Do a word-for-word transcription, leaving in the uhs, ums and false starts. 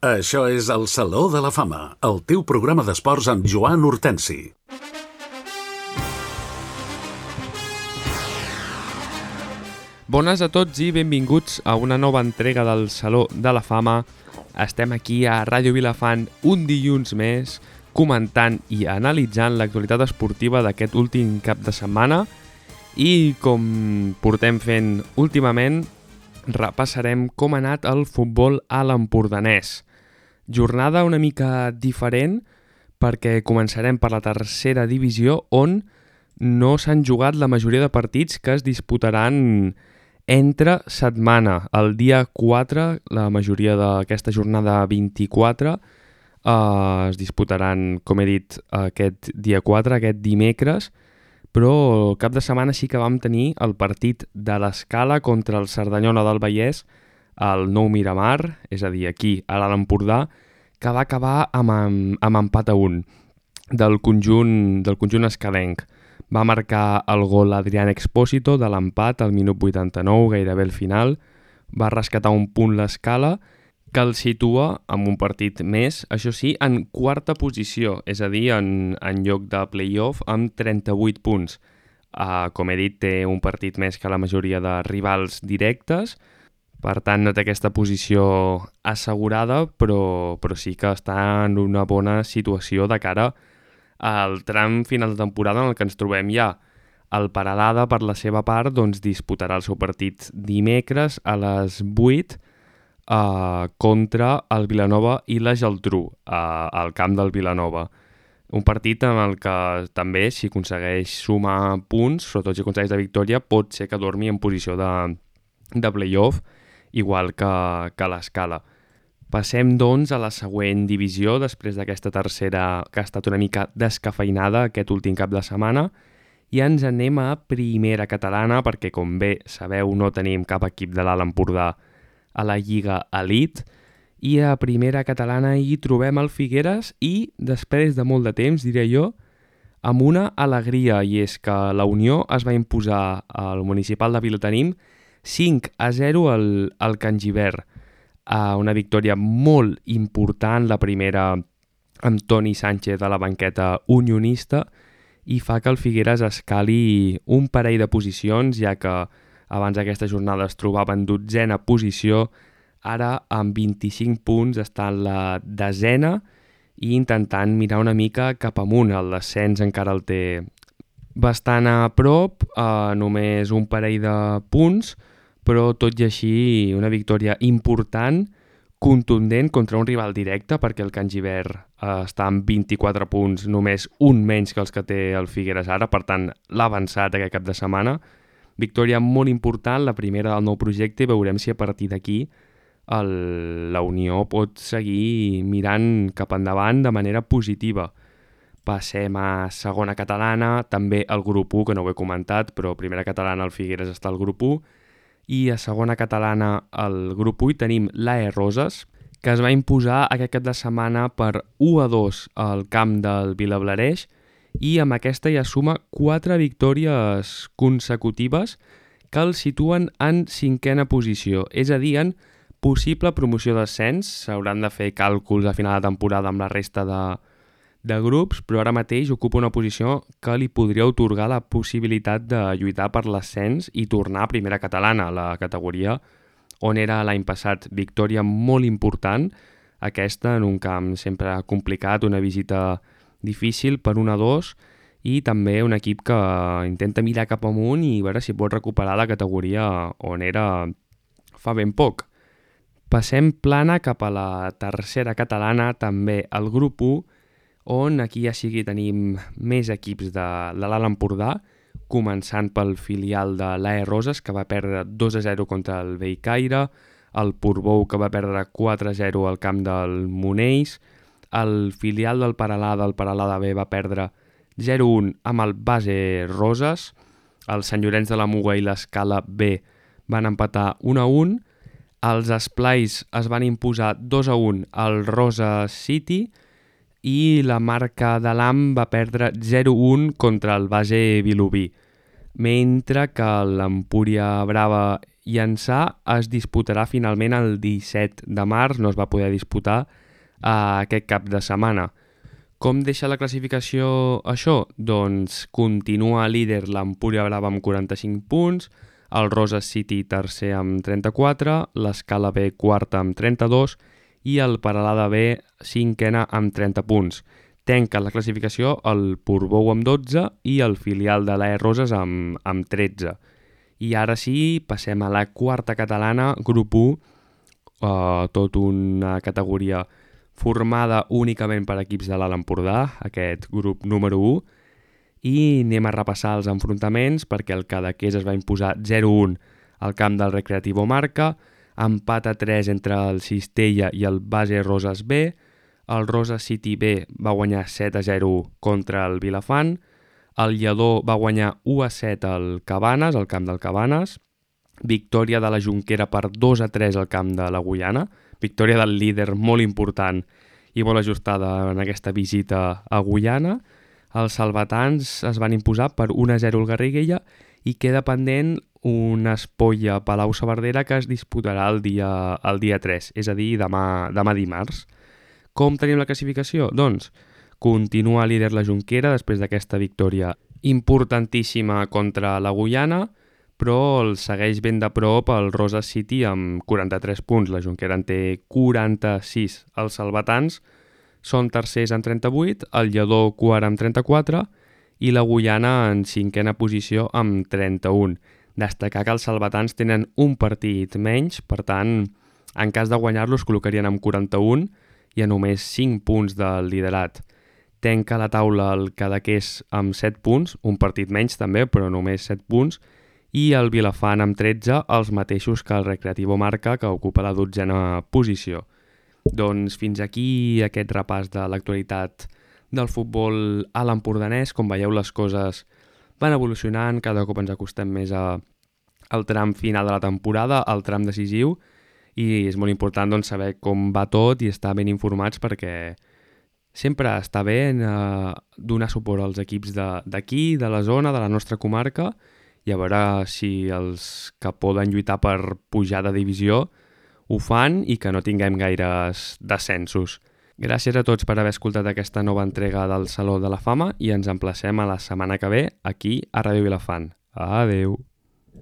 Això és el Saló de la Fama, el teu programa d'esports amb Joan Hortensi. Bones a tots i benvinguts a una nova entrega del Saló de la Fama. Estem aquí a Ràdio Vilafant un dilluns més, comentant i analitzant l'actualitat esportiva d'aquest últim cap de setmana i, com portem fent últimament, repassarem com ha anat el futbol a l'empordanès. Jornada una mica diferent perquè començarem per la tercera divisió on no s'han jugat la majoria de partits que es disputaran entre setmana. El dia quatre, la majoria d'aquesta jornada vint-i-quatre, eh, es disputaran, com he dit, aquest dia quatre, aquest dimecres, però el cap de setmana sí que vam tenir el partit de l'Escala contra el Cerdanyola del Vallès, al Nou Miramar, és a dir, aquí, a l'Alt Empordà, que va acabar amb, amb empat a un del conjunt, del conjunt escalenc. Va marcar el gol Adrián Expósito de l'empat al minut vuitanta-nou, gairebé al final. Va rescatar un punt l'Escala, que el situa amb un partit més, això sí, en quarta posició, és a dir, en, en lloc de play-off, amb trenta-vuit punts. Uh, com he dit, té un partit més que la majoria de rivals directes, per tant no té aquesta posició assegurada, però, però sí que està en una bona situació de cara al tram final de temporada en el que ens trobem ja. El Peralada, per la seva part, doncs, disputarà el seu partit dimecres a les vuit eh, contra el Vilanova i la Geltrú, eh, al camp del Vilanova. Un partit en el que també, si aconsegueix sumar punts, sobretot si aconsegueix la victòria, pot ser que dormi en posició de, de play-off, igual que, que l'Escala. Passem, doncs, a la següent divisió, després d'aquesta tercera que ha estat una mica descafeinada aquest últim cap de setmana, i ens anem a primera catalana, perquè, com bé sabeu, no tenim cap equip de l'Alt Empordà a la Lliga Elite, i a primera catalana hi trobem el Figueres i, després de molt de temps, diré jo, amb una alegria, i és que la Unió es va imposar al municipal de Vilatenim cinc a zero al, al Can Gibert. Uh, una victòria molt important, la primera amb Toni Sánchez a la banqueta unionista, i fa que el Figueres escali un parell de posicions, ja que abans d'aquesta jornada es trobava en dotzena posició, ara amb vint-i-cinc punts està en la desena i intentant mirar una mica cap amunt. El descens encara el té bastant a prop, uh, només un parell de punts, però tot i així una victòria important, contundent contra un rival directe, perquè el Can Gibert eh, està amb vint-i-quatre punts, només un menys que els que té el Figueres ara, per tant l'ha avançat aquest cap de setmana. Victòria molt important, la primera del nou projecte, i veurem si a partir d'aquí el, la Unió pot seguir mirant cap endavant de manera positiva. Passem a segona catalana, també el grup u, que no ho he comentat, però primera catalana el Figueres està al grup u, i a segona catalana al grup u hi tenim l'A E Roses, que es va imposar aquest cap de setmana per u a dos al camp del Vilablareix, i amb aquesta ja suma quatre victòries consecutives que el situen en cinquena posició, és a dir, en possible promoció d'ascens. S'hauran de fer càlculs a final de temporada amb la resta de, de grups, però ara mateix ocupa una posició que li podria otorgar la possibilitat de lluitar per l'ascens i tornar a primera catalana, la categoria on era l'any passat. Victòria molt important, aquesta en un camp sempre complicat, una visita difícil per un a dos, i també un equip que intenta mirar cap amunt i veure si pot recuperar la categoria on era fa ben poc. Passem plana cap a la tercera catalana, també al grup u, on aquí ja sí que tenim més equips de, de l'Alt Empordà, començant pel filial de l'A E Roses, que va perdre dos a zero contra el Bellcaire, el Portbou, que va perdre quatre a zero al camp del Monells, el filial del Peralada, el Peralada B, va perdre zero a un amb el Base Roses, el Sant Llorenç de la Muga i l'Escala B van empatar un a un, els Esplais es van imposar dos a un al Rosa City, i la Marca de l'Am va perdre zero a un contra el Base Vilobí, mentre que l'Empúria Brava Llançà es disputarà finalment el disset de març, no es va poder disputar uh, aquest cap de setmana. Com deixa la classificació això? Doncs continua líder l'Empúria Brava amb quaranta-cinc punts, el Roses City tercer amb trenta-quatre, l'Escala B quarta amb trenta-dos i el Peralada B cinquena amb trenta punts. Tanca la classificació el Portbou amb dotze i el filial de l'A E Roses amb, amb tretze. I ara sí, passem a la quarta catalana, grup u, uh, tot una categoria formada únicament per equips de l'Alt Empordà, aquest grup número u, i anem a repassar els enfrontaments perquè el Cadaqués es va imposar zero a u al camp del Recreativo Marca, empat a tres entre el Cistella i el Base Roses B, el Roses City B va guanyar set a zero contra el Vilafant, el Lledó va guanyar u a set al Cabanes, al camp del Cabanes, victòria de la Jonquera per dos a tres al camp de la Guyana, victòria del líder molt important i molt ajustada en aquesta visita a Guyana. Els salvatans es van imposar per un a zero al Garriguella i queda pendent una espolla a Palau-saverdera que es disputarà el dia, el dia tres, és a dir, demà, demà dimarts. Com tenim la classificació? Doncs continua líder la Jonquera després d'aquesta victòria importantíssima contra la Guyana, però el segueix ben de prop el Roses City amb quaranta-tres punts. La Jonquera en té quaranta-sis. Els salvatans són tercers amb trenta-vuit, el Lledó quart amb trenta-quatre i la Guyana en cinquena posició amb trenta-un. Destacar que els salvatans tenen un partit menys, per tant, en cas de guanyar-los col·locarien amb quaranta-un i a només cinc punts del liderat. Tanca la taula el Cadaqués amb set punts, un partit menys també, però només set punts, i el Vilafant amb tretze, els mateixos que el Recreativo Marca, que ocupa la dotzena posició. Doncs fins aquí aquest repàs de l'actualitat del futbol a l'empordanès. Com veieu, les coses van evolucionant, cada cop ens acostem més a, al tram final de la temporada, al tram decisiu, i és molt important doncs, saber com va tot i estar ben informats perquè sempre està bé eh, donar suport als equips d'aquí, de, de la zona, de la nostra comarca, i a veure si els que poden lluitar per pujar de divisió ho fan i que no tinguem gaires descensos. Gràcies a tots per haver escoltat aquesta nova entrega del Saló de la Fama i ens emplacem a la setmana que ve aquí a Ràdio Vilafant. Adeu!